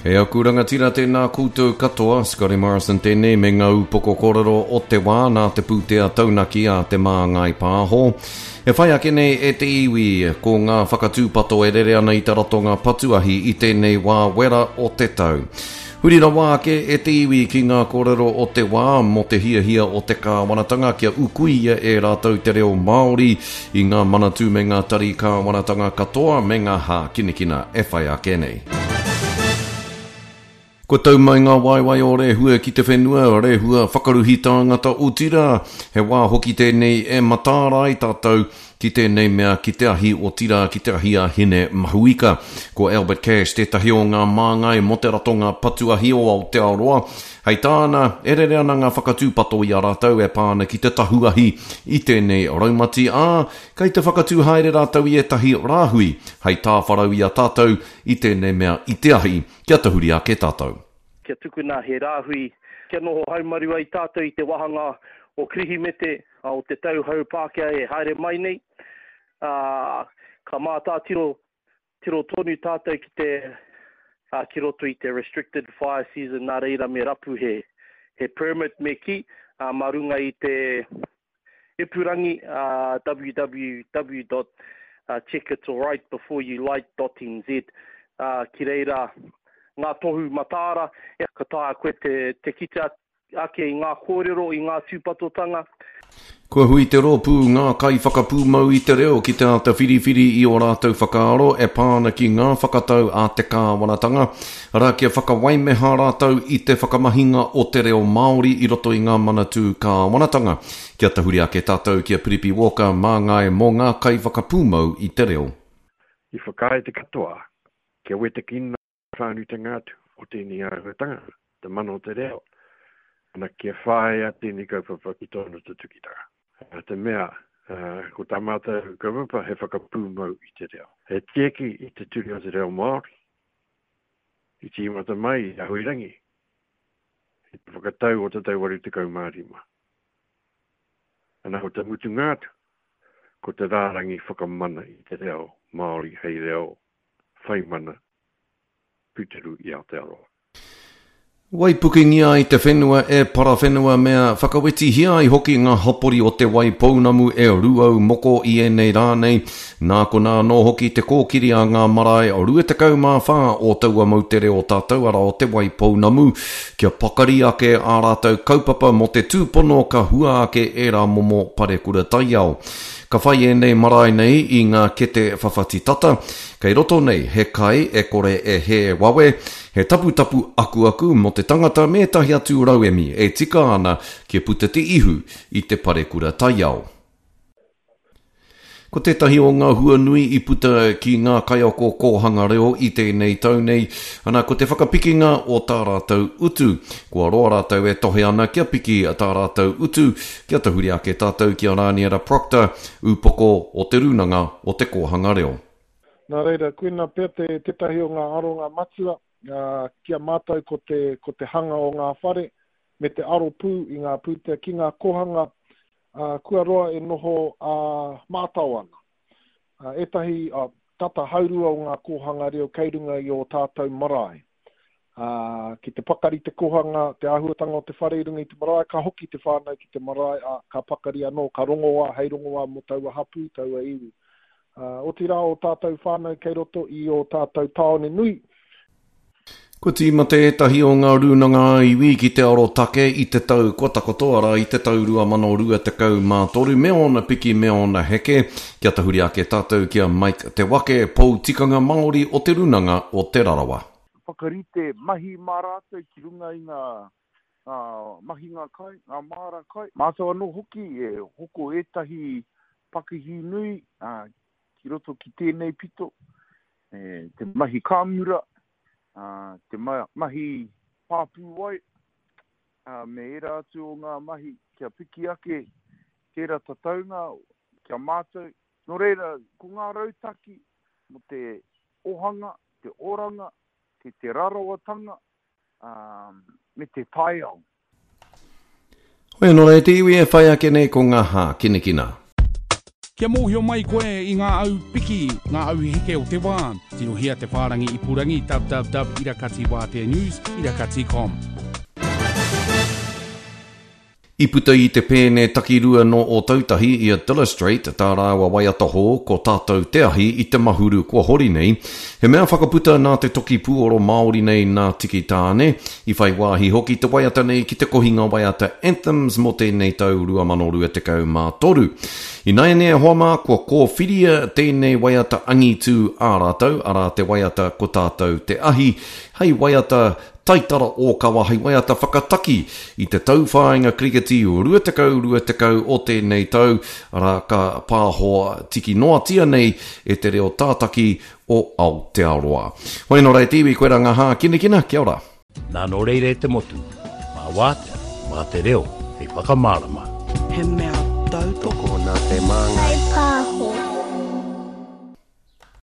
E aku rangatira tēnā koutou katoa, Scotty Morrison tēnei me ngā upoko kōrero o te wā nā te pūtea taunaki a Te Māngai Pāho. E whai ake nei e te iwi, ko ngā whakatūpato e rere ana i te ratonga patu ahi i tēnei wā wera o te tau. Huri rawa ake e te iwi ki ngā kōrero o te wā mō te hiahia o te kāwanatanga kia ukuia e rātou te reo Māori i ngā manatū me ngā tari kāwanatanga katoa me ngā hākinakina e whai ake nei. Kua tau mai ngā waewae o Rehua ki te whenua, Rehua whakaruhi tāngata otirā, he wā hoki tēnei e mataara ai tātou ki tēnei mea ki te ahi otirā ki te ahi a Hine Mahuika. Ko Albert Cash tētahi o ngā māngai mō te ratonga patu ahi o Aotearoa. Hei tāna, e rere ana ngā whakatūpato i a rātou e pā ana ki te tahu ahi i tēnei raumati, ā, kei te whakatū haere rātou i ētahi rāhui hei tāwharau i a tātou i tēnei mea i te ahi, kia tahuri ake tātou. Kia tukuna he rāhui kia noho haumaru ai tātou i te wāhanga o Kirihimete, o te tau hou Pākehā e haere mai nei, ā, ka mātātiro tiro tonu tātou ki te, ā, ki roto i te restricted fire season, nā reira me rapu he, he permit me kī, ā, mā runga i te ipurangi, ā, www dot checkitsalrightbeforeyoulight dot nz, ā, ki reira ngā tohu mataara, ka taea koe te, te kite atu. Ake i ngā kōrero, i ngā tūpatotanga. Kua hui te rōpū Ngā Kaiwhakapūmau i te Reo ki te āta whiriwhiri i ō rātou whakaaro e pā ana ki ngā whakatau a te kāwanatanga, arā, kia whakawaimeha rātou i te whakamahinga o te reo Māori i roto i ngā manatū kāwanatanga. Kia tahuri ake tātou ki a Piripi Walker, māngai mō Ngā Kaiwhakapūmau i te Reo. I whakaae te katoa kia wetekina whānuitanga atu o tēnei āhuatanga, te mana o te reo, ana kia whāia tēnei kaupapa ki tōna tutukitanga. Nā te mea, ko tā mātou kaupapa he whakapūmau i te reo. He tieki i te ture o te reo Māori, i tīmata mai i a Huirangi, i te whakatau o te tau 85. Ana ko te mutunga atu, ko te rārangi whakamana i te reo Māori hei reo whai mana tūturu i Aotearoa. Waipukengia ai te whenua e Parawhenuamea, whakawetihia ai hoki ngā hapori o Te Wai Pounamu e Rūaumoko i ēnei rā nei. Nā konā anō hoki te kōkiri a ngā marae 24 o taua moutere o tātou arā o Te Wai Pounamu, kia pakari ake ā rātou kaupapa mō te tūpono ka hua ake ērā momo parekura taiao. Ka whai ēnei marae nei i ngā kete whawhati tata, kei roto nei he kai e kore e hē wawe, he taputapu akuaku mō te tangata me ētahi atu rauemi e tika ana kia puta te ihu i te parekura taiao. Ko tētahi o ngā hua nui i puta ki ngā kaiako kōhanga reo i tēnei tau nei, ana ko te whakapikinga o tā rātou utu. Kua roa rātou e tohe ana kia piki tā rātou utu, Kia tahuri ake tātou ki a Rāniera Procter, ūpoko o Te Rūnanga o Te Kōhanga Reo. Nā reira, koina pea te, tētahi o ngā aronga matua ki a mātou ko te, ko te hanga o ngā whare me te aro pū i ngā pūtea ki ngā kōhanga kua roa e noho ā-mātao ana. Ētahi, tata haurua o ngā kōhanga reo kei runga i ō tātou marae. Ā, ki te pakari te kohanga, te āhuatanga o te whare i runga i te marae, ka hoki te whānau ki te marae, ā, ka pakari anō, ka rongoā hei rongoā mō taua hapū, taua iwi. Ā, otirā ō tātou whānau kei roto i ō tātou tāone nui. Kua tīmata ētahi o ngā rūnanga ā-iwi ki te arotake i te tau kua takoto, arā, i te tau 2023, me ōna piki me ōna heke. Kia tahuri ake tātou ki a Mike Te Wake, Pou Tikanga Māori o Te Rūnanga o Te Rarawa. Whakarite mahi mā rātou ki runga i ngā mahinga kai, ngā māra kai. Mātou anō hoki e hoko ētahi pakihi nui ki roto ki tēnei pito, te mahi kāmura, te mahi pāpū wai, me ērā atu o ngā mahi kia piki ake tērā tataunga ki a mātou. Nō reira, ko ngā rautaki mō te ohanga, te oranga, te te rarawatanga, ā, me te taiao. Hoi anō rā e te iwi e whai ake nei ko ngā hākinakina. Kia mōhio mai koe i ngā au piki, ngā au heke o te wā, tirohia te whārangi ipurangi www irakati wātea news irakati com. I puta i te pēne takirua nō Ōtautahi i a Dillestrate tā rāua waiata hou ko Tātou Te Ahi i te Mahuru kua hori nei. He mea whakaputa nā te toki pūoro Māori nei nā Tiki Taane. I whai wāhi hoki te waiata nei ki te kohinga waiata Anthems mō tēnei tau 2023. Ināianei e hoa mā, kua kōwhiria tēnei waiata angitū ā rātou, arā te waiata Ko Tātou Te Ahi, hei waiata taitara ōkawa hei waiata whakataki i te tauwhāinga kiriketi 20 20 o tēnei tau, arā, ka pāhoa tiki noatia nei e te reo tātaki o Aotearoa. Hoi anō rā e te iwi, koirā ngā hākinakina, kia ora. Nā nō reira e te motu, mā wātea, mā te reo hei whakamārama. He mea tautoko. Tokona te māngai.